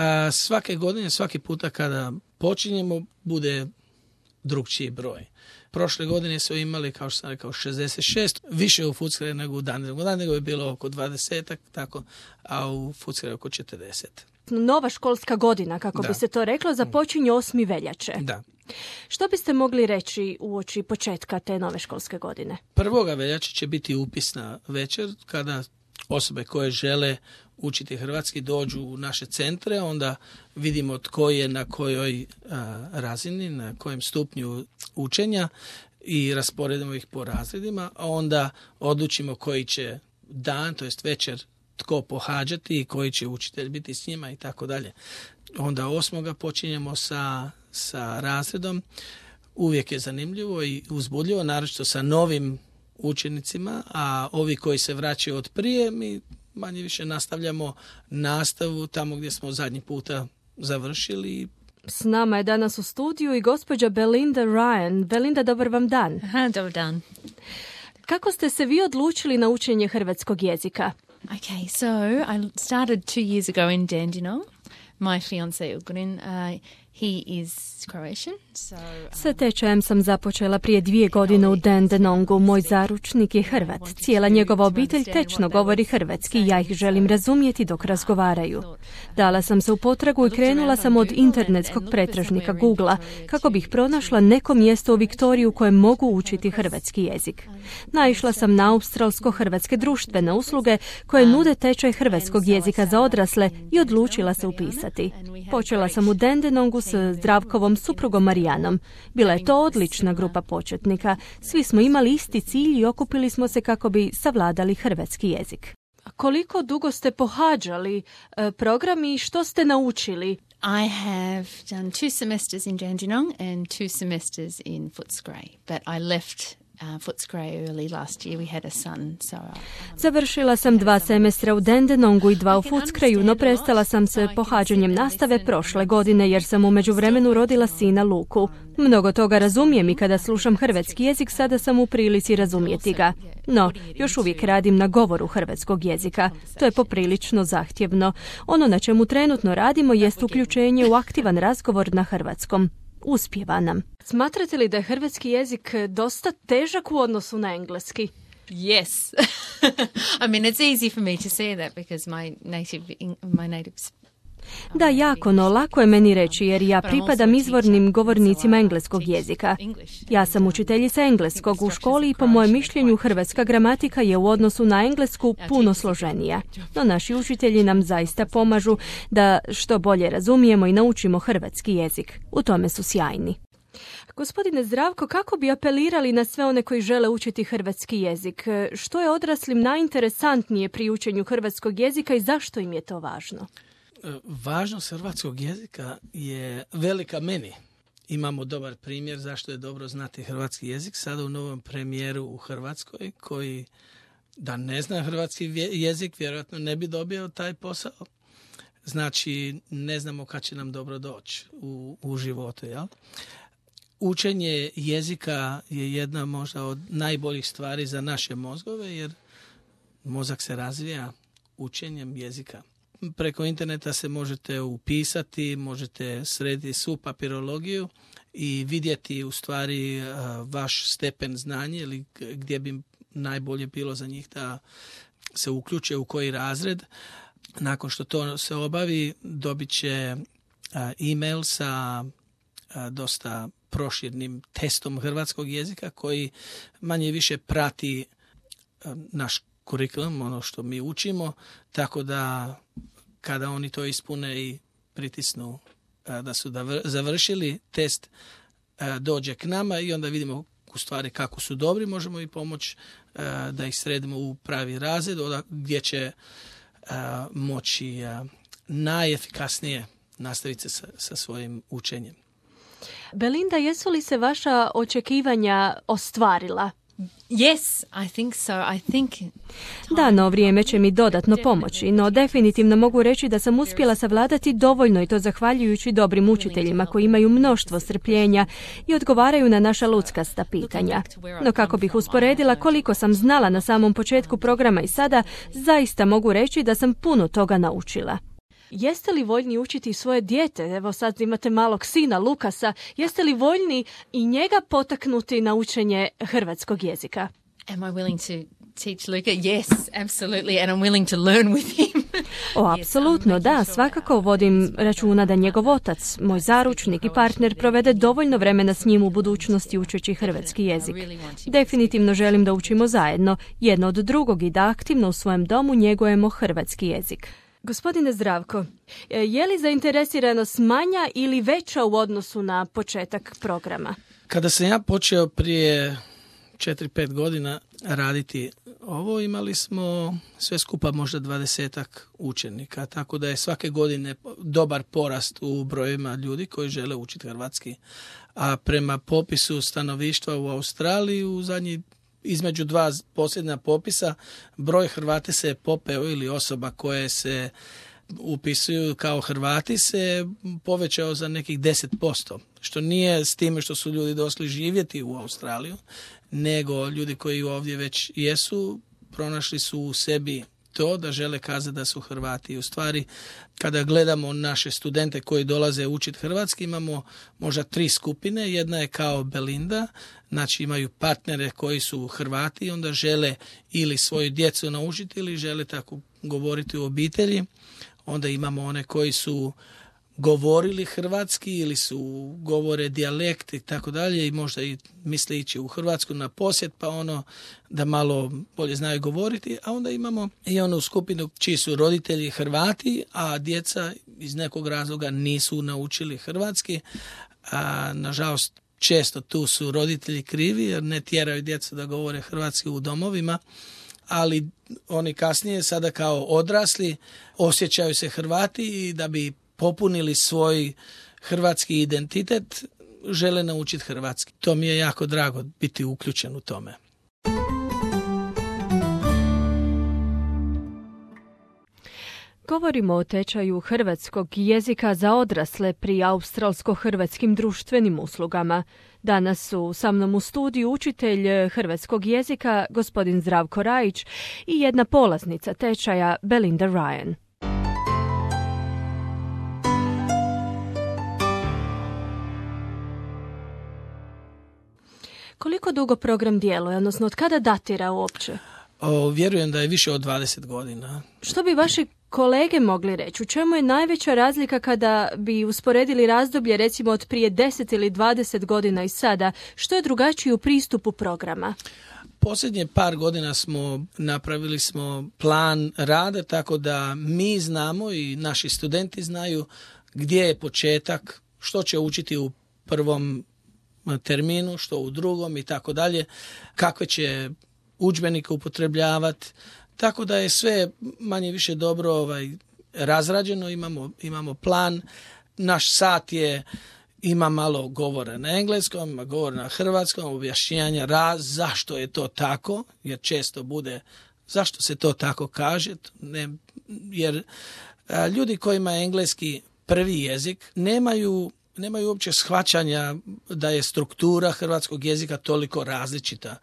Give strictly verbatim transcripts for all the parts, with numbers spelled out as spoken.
A svake godine, svaki puta kada počinjemo, bude drugčiji broj. Prošle godine su imali, kao što sam rekao, šezdeset šest, više u Footscray nego u Dandenongu. U Dandenongu je bilo oko dvadeset, tako, a u Footscray oko četrdeset. Nova školska godina, kako da. bi se to reklo, započinje osmi veljače. Da. Što biste mogli reći uoči početka te nove školske godine? Prvoga veljače će biti upisna večer, kada osobe koje žele učiti hrvatski dođu u naše centre, onda vidimo tko je na kojoj a, razini, na kojem stupnju učenja i rasporedimo ih po razredima, a onda odlučimo koji će dan, to jest večer, tko pohađati i koji će učitelj biti s njima i tako dalje. Onda osmoga počinjemo sa, sa razredom. Uvijek je zanimljivo i uzbudljivo, naročito sa novim učenicima, a ovi koji se vraćaju od prije, mi manje više nastavljamo nastavu tamo gdje smo zadnji puta završili. S nama je danas u studiju i gospođa Belinda Ryan. Belinda, dobar vam dan. Aha, dobar dan. Kako ste se vi odlučili na učenje hrvatskog jezika? Okay, so I started two years ago in Dandenong. My fiancé Ugorin, uh, he is Croatian. So, um, Sa tečajem sam započela prije dvije godine u Dandenongu. Moj zaručnik je Hrvat. Cijela njegova obitelj tečno govori hrvatski i ja ih želim razumjeti dok razgovaraju. Dala sam se u potragu i krenula sam od internetskog pretražnika Googlea kako bih pronašla neko mjesto u Viktoriji u kojem mogu učiti hrvatski jezik. Naišla sam na australsko-hrvatske društvene usluge koje nude tečaj hrvatskog jezika za odrasle i odlučila se upisati. Počela sam u Dandenongu s Zdravkovom suprugom Marijanom. Bila je to odlična grupa početnika. Svi smo imali isti cilj i okupili smo se kako bi savladali hrvatski jezik. Koliko dugo ste pohađali e, program i što ste naučili? I have done two semesters in Dandenong and two semesters in Footscray, but I left Uh, Footscray early last year. We had a son, so uh, Završila sam dva semestra u Dandenongu i dva u Footscrayu, no prestala sam se pohađanjem nastave prošle godine jer sam u međuvremenu rodila sina Luku. Mnogo toga razumijem i kada slušam hrvatski jezik sada sam u prilici razumjeti ga. No, još uvijek radim na govoru hrvatskog jezika. To je poprilično zahtjevno. Ono na čemu trenutno radimo jest uključenje u aktivan razgovor na hrvatskom. Uspijeva nam. Smatrate li da je hrvatski jezik dosta težak u odnosu na engleski? yes. I mean, it's easy for me to say that because my native, my native Da, jako, no lako je meni reći jer ja pripadam izvornim govornicima engleskog jezika. Ja sam učiteljica engleskog u školi i po mojem mišljenju hrvatska gramatika je u odnosu na englesku puno složenija. No naši učitelji nam zaista pomažu da što bolje razumijemo i naučimo hrvatski jezik. U tome su sjajni. Gospodine Zdravko, kako bi apelirali na sve one koji žele učiti hrvatski jezik? Što je odraslim najinteresantnije pri učenju hrvatskog jezika i zašto im je to važno? Važnost hrvatskog jezika je velika meni. Imamo dobar primjer zašto je dobro znati hrvatski jezik. Sada u novom premijeru u Hrvatskoj koji da ne zna hrvatski jezik vjerojatno ne bi dobio taj posao. Znači ne znamo kad će nam dobro doći u, u životu. Jel? Učenje jezika je jedna možda od najboljih stvari za naše mozgove jer mozak se razvija učenjem jezika. Preko interneta se možete upisati, možete srediti svu papirologiju i vidjeti u stvari vaš stepen znanja ili gdje bi najbolje bilo za njih da se uključe u koji razred. Nakon što to se obavi, dobit će e-mail sa dosta proširnim testom hrvatskog jezika koji manje više prati naš kurikulum, ono što mi učimo, tako da kada oni to ispune i pritisnu da su završili test, dođe k nama i onda vidimo u stvari kako su dobri, možemo i pomoći da ih sredimo u pravi razred gdje će moći najefikasnije nastaviti sa, sa svojim učenjem. Belinda, jesu li se vaša očekivanja ostvarila? Yes, I think so. I think Da, no vrijeme će mi dodatno pomoći, no definitivno mogu reći da sam uspjela savladati dovoljno i to zahvaljujući dobrim učiteljima koji imaju mnoštvo strpljenja i odgovaraju na naša luckasta pitanja. No kako bih usporedila koliko sam znala na samom početku programa i sada, zaista mogu reći da sam puno toga naučila. Jeste li voljni učiti svoje dijete? Evo sad imate malog sina Lukasa. Jeste li voljni i njega potaknuti na učenje hrvatskog jezika? Am I willing to teach Luca? Yes, absolutely, and I'm willing to learn with him. O, apsolutno, da, svakako vodim računa da njegov otac, moj zaručnik i partner, provede dovoljno vremena s njim u budućnosti učeći hrvatski jezik. Definitivno želim da učimo zajedno, jedno od drugog i da aktivno u svojem domu njegujemo hrvatski jezik. Gospodine Zdravko, je li zainteresiranost manja ili veća u odnosu na početak programa? Kada sam ja počeo prije četiri pet godina raditi ovo, imali smo sve skupa možda dvadesetak učenika, tako da je svake godine dobar porast u brojima ljudi koji žele učiti hrvatski. A prema popisu stanovništva u Australiji u zadnji između dva posljednja popisa broj Hrvata se popeo ili osoba koje se upisuju kao Hrvati se povećao za nekih deset posto, što nije s time što su ljudi došli živjeti u Australiju, nego ljudi koji ovdje već jesu, pronašli su u sebi to da žele kazati da su Hrvati. U stvari, kada gledamo naše studente koji dolaze učiti hrvatski, imamo možda tri skupine. Jedna je kao Belinda, znači imaju partnere koji su Hrvati i onda žele ili svoju djecu naučiti ili žele tako govoriti u obitelji. Onda imamo one koji su govorili hrvatski ili su govore dijalekt i tako dalje i možda i misle ići u Hrvatsku na posjet pa ono da malo bolje znaju govoriti, a onda imamo i onu skupinu čiji su roditelji Hrvati, a djeca iz nekog razloga nisu naučili hrvatski, a nažalost često tu su roditelji krivi jer ne tjeraju djecu da govore hrvatski u domovima, ali oni kasnije sada kao odrasli osjećaju se Hrvati i da bi popunili svoj hrvatski identitet, žele naučiti hrvatski. To mi je jako drago biti uključen u tome. Govorimo o tečaju hrvatskog jezika za odrasle pri australsko-hrvatskim društvenim uslugama. Danas su sa mnom u studiju učitelj hrvatskog jezika, gospodin Zdravko Rajić, i jedna polaznica tečaja, Belinda Ryan. Koliko dugo program djeluje, odnosno od kada datira uopće? O, vjerujem da je više od dvadeset godina. Što bi vaši kolege mogli reći? U čemu je najveća razlika kada bi usporedili razdoblje recimo od prije deset ili dvadeset godina i sada? Što je drugačije u pristupu programa? Posljednje par godina smo napravili smo plan rada tako da mi znamo i naši studenti znaju gdje je početak, što će učiti u prvom terminu, što u drugom i tako dalje, kakve će udžbenike upotrebljavati, tako da je sve manje više dobro ovaj, razrađeno, imamo, imamo plan, naš sat je, ima malo govora na engleskom, ima govora na hrvatskom, objašnjanja raz, zašto je to tako, jer često bude zašto se to tako kaže, ne, jer a, ljudi kojima je engleski prvi jezik nemaju nemaju uopće shvaćanja da je struktura hrvatskog jezika toliko različita.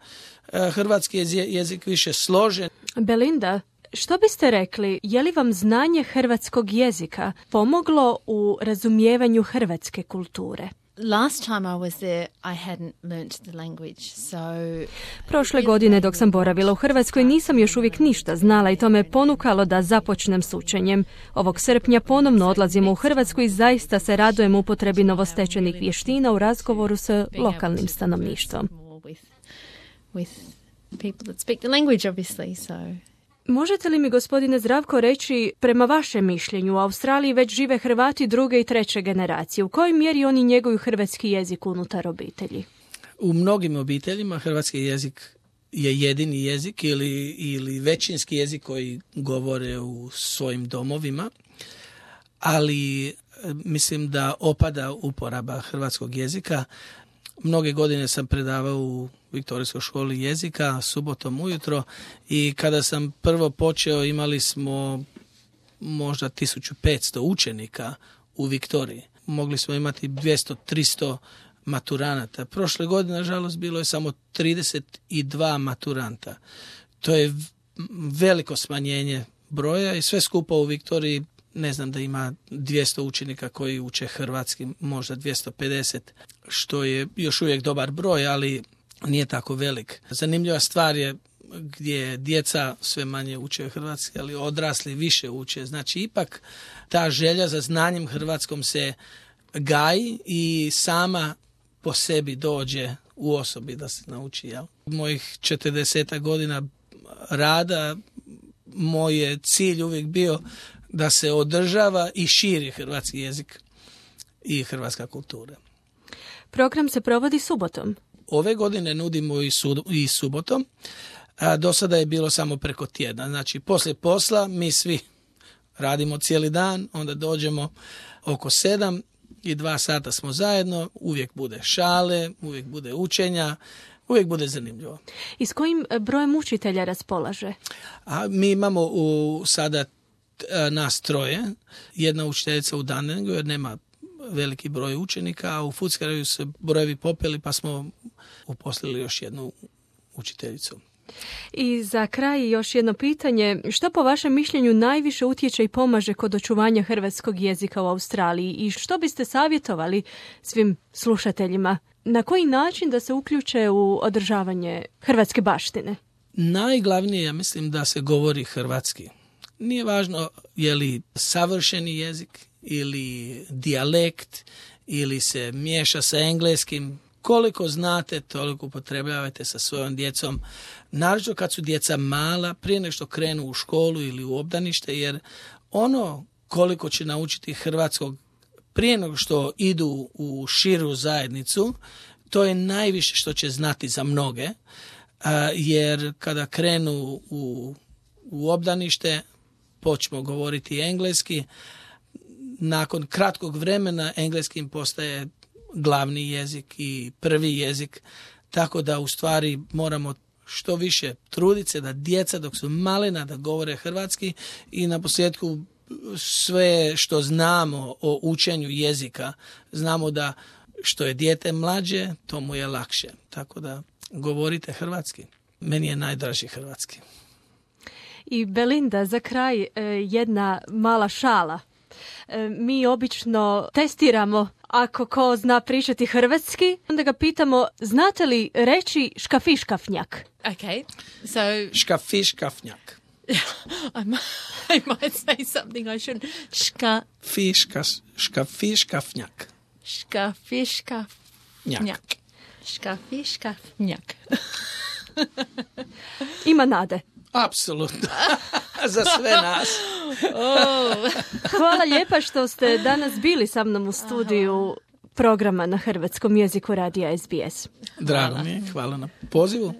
Hrvatski je jezik više složen. Belinda, što biste rekli, je li vam znanje hrvatskog jezika pomoglo u razumijevanju hrvatske kulture? Last time I was there, I hadn't learnt the language, so... Prošle godine dok sam boravila u Hrvatskoj nisam još uvijek ništa znala i to me ponukalo da započnem s učenjem. Ovog srpnja ponovno odlazimo u Hrvatsku i zaista se radujem upotrebi novostečenih vještina u razgovoru s lokalnim stanovništvom. With people that speak the language, obviously, so... Možete li mi, gospodine Zdravko, reći, prema vašem mišljenju, u Australiji već žive Hrvati druge i treće generacije. U kojoj mjeri oni njeguju hrvatski jezik unutar obitelji? U mnogim obiteljima hrvatski jezik je jedini jezik ili, ili većinski jezik koji govore u svojim domovima, ali mislim da opada uporaba hrvatskog jezika. Mnoge godine sam predavao u Viktorijskoj školi jezika subotom ujutro i kada sam prvo počeo imali smo možda tisuću petsto učenika u Viktoriji. Mogli smo imati dvjesto do tristo maturanata. Prošle godine, nažalost, bilo je samo trideset dva maturanta. To je veliko smanjenje broja i sve skupa u Viktoriji ne znam da ima dvjesto učenika koji uče hrvatski, možda dvjesto pedeset, što je još uvijek dobar broj, ali nije tako velik. Zanimljiva stvar je gdje djeca sve manje uče hrvatski, ali odrasli više uče. Znači, ipak ta želja za znanjem hrvatskom se gaji i sama po sebi dođe u osobi da se nauči. Jel? Mojih četrdeset godina rada, moj je cilj uvijek bio da se održava i širi hrvatski jezik i hrvatska kultura. Program se provodi subotom. Ove godine nudimo i, su, i subotom. A do sada je bilo samo preko tjedna. Znači, poslije posla mi svi radimo cijeli dan, onda dođemo oko sedam i dva sata smo zajedno, uvijek bude šale, uvijek bude učenja, uvijek bude zanimljivo. I s kojim brojem učitelja raspolaže? A mi imamo u, sada a, nas troje, jedna učiteljica u Dunedingu jer nema veliki broj učenika, a u Footscrayu se brojevi popeli pa smo uposlili još jednu učiteljicu. I za kraj još jedno pitanje. Što po vašem mišljenju najviše utječe i pomaže kod očuvanja hrvatskog jezika u Australiji i što biste savjetovali svim slušateljima? Na koji način da se uključe u održavanje hrvatske baštine? Najglavnije, ja mislim, da se govori hrvatski. Nije važno je li savršeni jezik ili dijalekt ili se miješa sa engleskim. Koliko znate, toliko upotrebljavajte sa svojom djecom. Naročito kad su djeca mala, prije nego što krenu u školu ili u obdanište, jer ono koliko će naučiti hrvatskog prije nego što idu u širu zajednicu, to je najviše što će znati za mnoge, jer kada krenu u, u obdanište, počnu govoriti engleski, nakon kratkog vremena engleski im postaje glavni jezik i prvi jezik, tako da u stvari moramo što više truditi se da djeca dok su malena da govore hrvatski i na posljedku sve što znamo o učenju jezika, znamo da što je dijete mlađe, to mu je lakše. Tako da govorite hrvatski. Meni je najdraži hrvatski. I Belinda, za kraj jedna mala šala. Mi obično testiramo ako ko zna pričati hrvatski, onda ga pitamo, znate li reći škafiškafnjak? Okay, so... Škafiškafnjak. I, might, I might say something I shouldn't. Ška... Fiškas, škafiškafnjak. Škafiškafnjak. Škafiškafnjak. Ima nade. Apsolutno. Za sve nas. Oh. Hvala lijepa što ste danas bili sa mnom u studiju programa na hrvatskom jeziku radija S B S. Drago mi je. Hvala na pozivu.